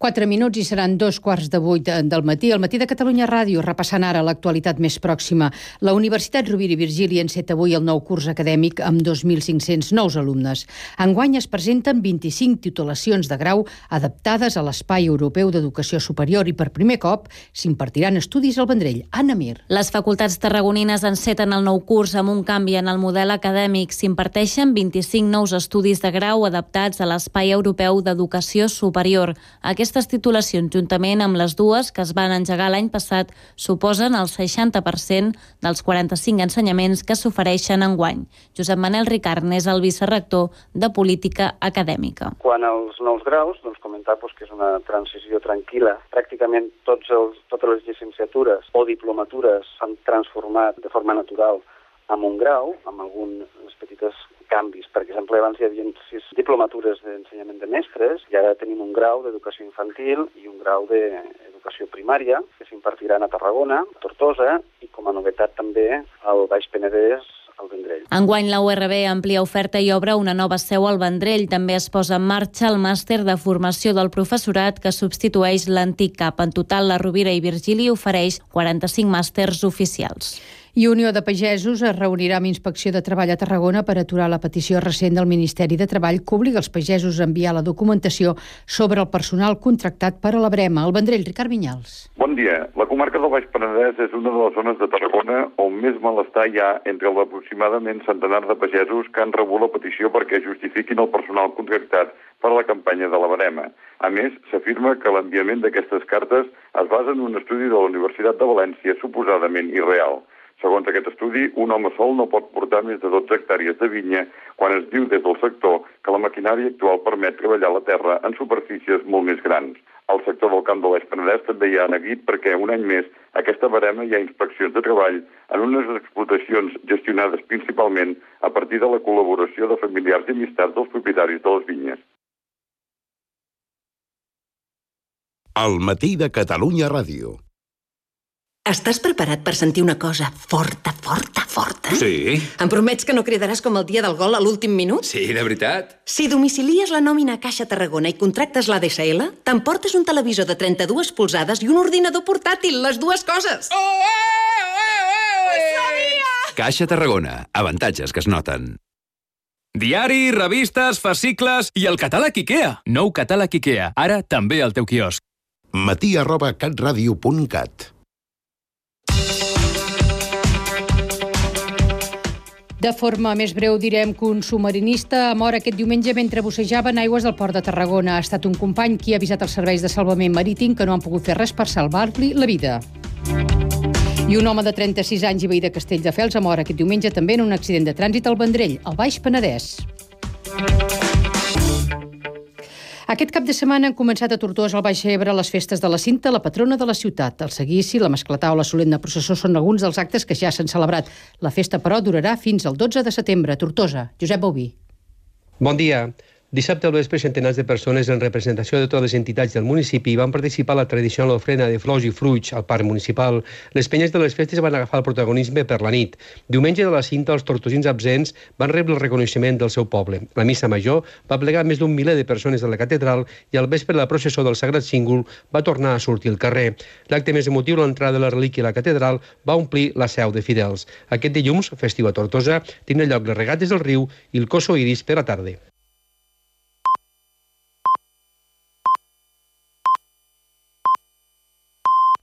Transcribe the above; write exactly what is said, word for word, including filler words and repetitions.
Quatre minuts i seran dos quarts de vuit del matí. Al matí de Catalunya Ràdio, repassant ara l'actualitat més pròxima. La Universitat Rovira i Virgili enceta avui el nou curs acadèmic amb dos mil cinc-cents nous alumnes. Enguany es presenten vint-i-cinc titulacions de grau adaptades a l'Espai Europeu d'Educació Superior i per primer cop s'impartiran estudis al Vendrell. Anna Mir. Les facultats tarragonines enceten el nou curs amb un canvi en el model acadèmic. S'imparteixen vint-i-cinc nous estudis de grau adaptats a l'Espai Europeu d'Educació Superior. Aquestes titulacions, juntament amb les dues que es van engegar l'any passat, suposen el seixanta per cent dels quaranta-cinc ensenyaments que s'ofereixen enguany. Josep Manel Ricard és el vicerrector de Política Acadèmica. Quan als nous graus, doncs comentar doncs, que és una transició tranquil·la. Pràcticament tots els, totes les llicenciatures o diplomatures s'han transformat de forma natural en un grau, amb alguns petites canvis. Per exemple, abans hi havia sis diplomatures d'ensenyament de mestres i ara tenim un grau d'educació infantil i un grau d'educació primària que s'impartiran a Tarragona, a Tortosa i com a novetat també al Baix Penedès, al Vendrell. Enguany la U R B amplia oferta i obre una nova seu al Vendrell. També es posa en marxa el màster de formació del professorat que substitueix l'antic C A P. En total, la Rovira i Virgili ofereix quaranta-cinc màsters oficials. I Unió de Pagesos es reunirà amb Inspecció de Treball a Tarragona per aturar la petició recent del Ministeri de Treball que obliga els pagesos a enviar la documentació sobre el personal contractat per a la Brema. Al Vendrell, Ricard Vinyals. Bon dia. La comarca del Baix Penedès és una de les zones de Tarragona on més malestar hi ha entre l'aproximadament centenar de pagesos que han rebut la petició perquè justifiquin el personal contractat per a la campanya de la Brema. A més, s'afirma que l'enviament d'aquestes cartes es basa en un estudi de la Universitat de València suposadament irreal. Segons aquest estudi, un home sol no pot portar més de dotze hectàrees de vinya quan es diu des del sector que la maquinària actual permet treballar la terra en superfícies molt més grans. El sector del camp de l'Eix Penedès també hi ha neguit perquè un any més aquesta barema hi ha inspeccions de treball en unes explotacions gestionades principalment a partir de la col·laboració de familiars i amistats dels propietaris de les vinyes. Al matí de Catalunya Ràdio. Estàs preparat per sentir una cosa forta, forta, forta? Sí. Em promets que no cridaràs com el dia del gol a l'últim minut? Sí, de veritat. Si domicilies la nòmina a Caixa Tarragona i contractes l'A D S L, t'emportes un televisor de trenta-dues polzades i un ordinador portàtil, les dues coses. Oh, oh, oh, oh. Ho sabia! Caixa Tarragona. Avantatges que es noten. Diari, revistes, fascicles i el catàleg IKEA. Nou catàleg IKEA, ara també al teu quiosc. matí arroba catradio punt cat. De forma més breu direm que un submarinista ha mort aquest diumenge mentre bussejava en aigües del port de Tarragona. Ha estat un company qui ha avisat els serveis de salvament marítim que no han pogut fer res per salvar-li la vida. I un home de trenta-sis anys i veí de Castelldefels ha mort aquest diumenge també en un accident de trànsit al Vendrell, al Baix Penedès. Aquest cap de setmana han començat a Tortosa, al Baix Ebre, les festes de la Cinta, la patrona de la ciutat. El seguici, la mascletà o la solemne processó són alguns dels actes que ja s'han celebrat. La festa, però, durarà fins al dotze de setembre. Tortosa, Josep Bauví. Bon dia. Dissabte al vespre, centenars de persones en representació de totes les entitats del municipi van participar a la tradicional ofrena de flors i fruits al parc municipal. Les penyes de les festes van agafar el protagonisme per la nit. Diumenge de la Cinta, els tortosins absents van rebre el reconeixement del seu poble. La missa major va plegar més d'un miler de persones a la catedral i al vespre la processó del Sagrat Cíngol va tornar a sortir al carrer. L'acte més emotiu, l'entrada de la relíquia a la catedral, va omplir la seu de fidels. Aquest dilluns, festiu a Tortosa, tindran lloc les regates del riu i el coso iris per la tarda.